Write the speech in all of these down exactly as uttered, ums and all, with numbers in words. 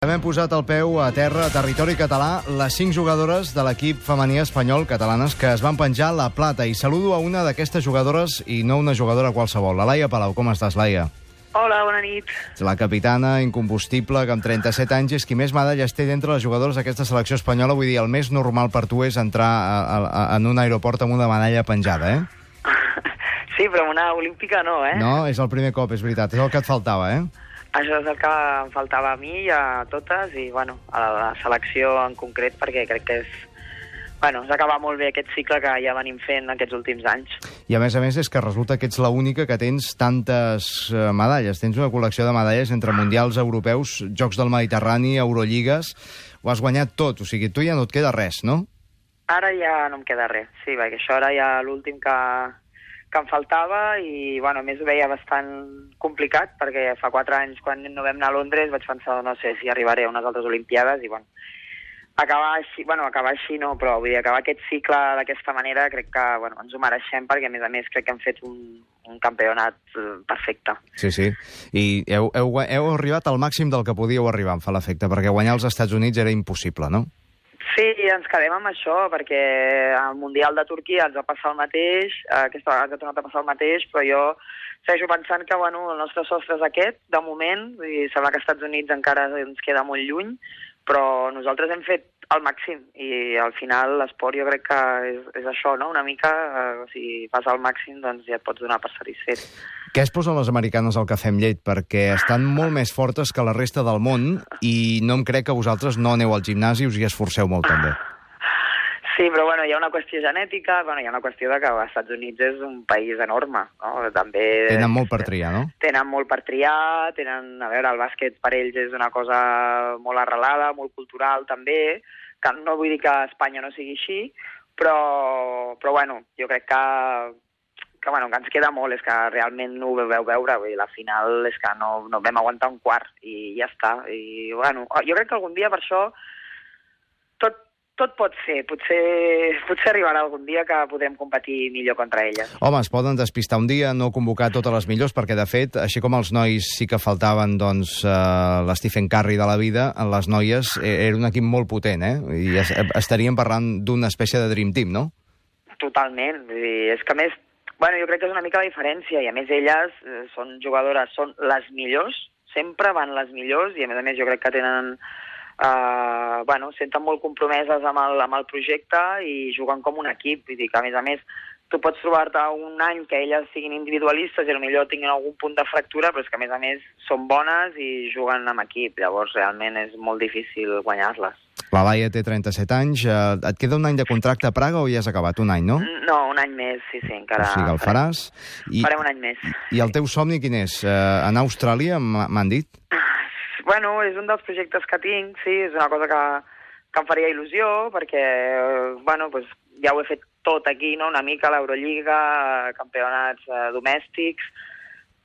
Hem posat el peu a terra, a territori català, les cinc jugadores de l'equip femení espanyol catalanes que es van penjar la plata. I saludo a una d'aquestes jugadores, i no una jugadora qualsevol. La Laia Palau. Com estàs, Laia? Hola, bona nit. La capitana incombustible, que amb trenta-set anys és qui més medalles té d'entre les jugadores d'aquesta selecció espanyola. Vull dir, el més normal per tu és entrar a, a, en un aeroport amb una medalla penjada, eh? Sí, però una olímpica no, eh? No, és el primer cop, és veritat. És el que et faltava, eh? Això és el que em faltava a mi i a totes, i bueno, a la selecció en concret, perquè crec que és... Bueno, s'acaba molt bé aquest cicle que ja venim fent aquests últims anys. I a més a més és que resulta que ets l'única que tens tantes uh, medalles. Tens una col·lecció de medalles entre mundials europeus, Jocs del Mediterrani, Eurolligues... Ho has guanyat tot, o sigui, tu ja no et queda res, no? Ara ja no em queda res, sí, perquè això era ja l'últim que... que em faltava i, bueno, a més ho veia bastant complicat, perquè fa quatre anys, quan no vam anar a Londres, vaig pensar, no sé si arribaré a unes altres Olimpiades, i, bueno, acabar així, bueno, acabar així no, però vull dir, acabar aquest cicle d'aquesta manera crec que, bueno, ens ho mereixem, perquè, a més a més, crec que hem fet un, un campionat perfecte. Sí, sí, i heu, heu, heu arribat al màxim del que podíeu arribar, em fa l'efecte, perquè guanyar als Estats Units era impossible, no? Sí, ens quedem amb això, perquè al Mundial de Turquia ens va passar el mateix, aquesta vegada ens ha tornat a passar el mateix, però jo segueixo pensant que, bueno, el nostre sostre és aquest, de moment, i sembla que als Estats Units encara ens queda molt lluny, però nosaltres hem fet el màxim, i al final l'esport jo crec que és, és això, no?, una mica, eh, si fas el màxim, doncs ja et pots donar per satisfet. Què es posen les americanes al cafè amb llet? Perquè estan molt més fortes que la resta del món i no em crec que vosaltres no aneu al gimnàs i us hi esforceu molt, també. Sí, però bueno, hi ha una qüestió genètica, bueno, hi ha una qüestió de que els Estats Units és un país enorme, no? També... Tenen molt per triar, no? Tenen molt per triar, tenen... A veure, el bàsquet per ells és una cosa molt arrelada, molt cultural, també, que no vull dir que a Espanya no sigui així, però, però bueno, jo crec que... que, bueno, que ens queda molt, és que realment no ho veu veure, vull dir, la final és que no, no vam aguantar un quart i ja està. I, bueno, jo crec que algun dia per això tot, tot pot ser, potser, potser arribarà algun dia que podrem competir millor contra elles. Home, es poden despistar un dia, no convocar totes les millors, perquè de fet, així com els nois sí que faltaven, doncs, uh, l'Stephen Curry de la vida, les noies era un equip molt potent, eh? I es, estaríem parlant d'una espècie de Dream Team, no? Totalment, vull dir, és que a més, bueno, jo crec que és una mica la diferència, i a més elles eh, són jugadores, són les millors, sempre van les millors, i a més a més jo crec que tenen, eh, bueno, senten molt compromeses amb el, amb el projecte i juguen com un equip, vull dir que a més a més tu pots trobar-te un any que elles siguin individualistes i potser tinguin algun punt de fractura, però és que a més a més són bones i juguen amb equip, llavors realment és molt difícil guanyar-les. La Laia té trenta-set anys. Et queda un any de contracte a Praga o ja has acabat? Un any, no? No, un any més, sí, sí, encara... O sigui, el faràs. I, farem un any més. I el teu somni quin és? Uh, anar a Austràlia, m'han dit? Bueno, és un dels projectes que tinc, sí, és una cosa que, que em faria il·lusió, perquè, bueno, pues, ja ho he fet tot aquí, no?, una mica, l'Eurolliga, campionats eh, domèstics,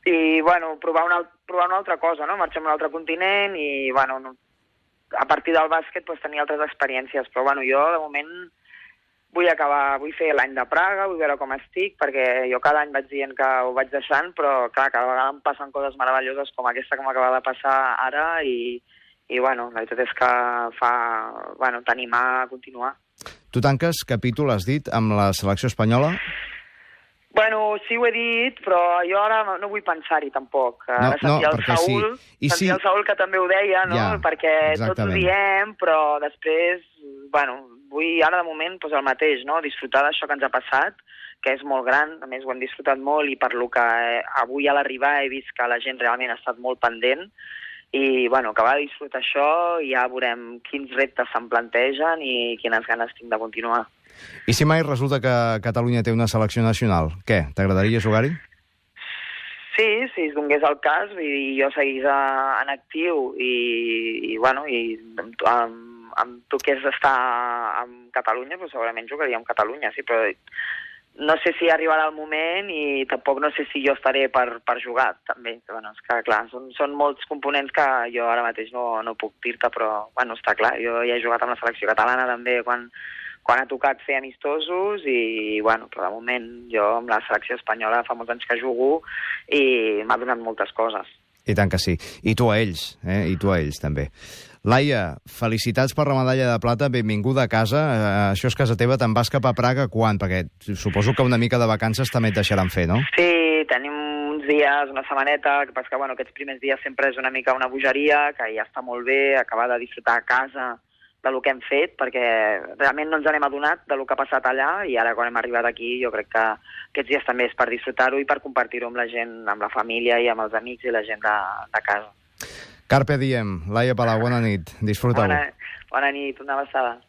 i, bueno, provar una, provar una altra cosa, no?, marxar a un altre continent i, bueno, no, a partir del bàsquet pues, tenir altres experiències, però bueno, jo de moment vull acabar, vull fer l'any de Praga, vull veure com estic, perquè jo cada any vaig dient que ho vaig deixant, però clar, cada vegada em passen coses meravelloses com aquesta que m'acaba de passar ara i, i bueno, la veritat és que fa, bueno, t'animar a continuar. Tu tanques capítol, has dit, amb la selecció espanyola? Bueno, sí ho he dit, però jo ara no vull pensar-hi tampoc. No, ara sentia no, el Saúl, sí. sentia sí. el Saúl que també ho deia, no? Ja, perquè exactament. Tots ho diem, però després, bueno, vull ara de moment pues, el mateix, no? Disfrutar d'això que ens ha passat, que és molt gran, a més ho hem disfrutat molt i per lo que eh, avui a l'arribar he vist que la gent realment ha estat molt pendent i, bueno, acabar de disfrutar això i ja veurem quins reptes se'm plantegen i quines ganes tinc de continuar. I si mai resulta que Catalunya té una selecció nacional, què? T'agradaria jugar-hi? Sí, si es donés el cas, i jo seguís a, en actiu i, i bueno, i em, em, em toqués estar amb Catalunya, però segurament jugaria amb Catalunya, sí, però no sé si arribarà el moment i tampoc no sé si jo estaré per, per jugar, també. Bueno, és que, clar, són, són molts components que jo ara mateix no, no puc dir-te, però, bueno, està clar, jo ja he jugat amb la selecció catalana també quan... quan ha tocat fer amistosos i, bueno, però de moment jo amb la selecció espanyola fa molts anys que jugo i m'ha donat moltes coses. I tant que sí. I tu a ells, eh? I tu a ells, també. Laia, felicitats per la medalla de plata, benvinguda a casa. Uh, això és casa teva, te'n vas cap a Praga quan? Perquè suposo que una mica de vacances també et deixaran fer, no? Sí, tenim uns dies, una setmaneta, que passa que bueno, aquests primers dies sempre és una mica una bogeria, que ja està molt bé, acabar de disfrutar a casa del que hem fet, perquè realment no ens n'hem adonat del que ha passat allà, i ara quan hem arribat aquí jo crec que aquests dies també és per disfrutar-ho i per compartir-ho amb la gent, amb la família i amb els amics i la gent de, de casa. Carpe diem. Laia Palau, bona nit. Disfruta-ho. Bona, bona nit, una abraçada.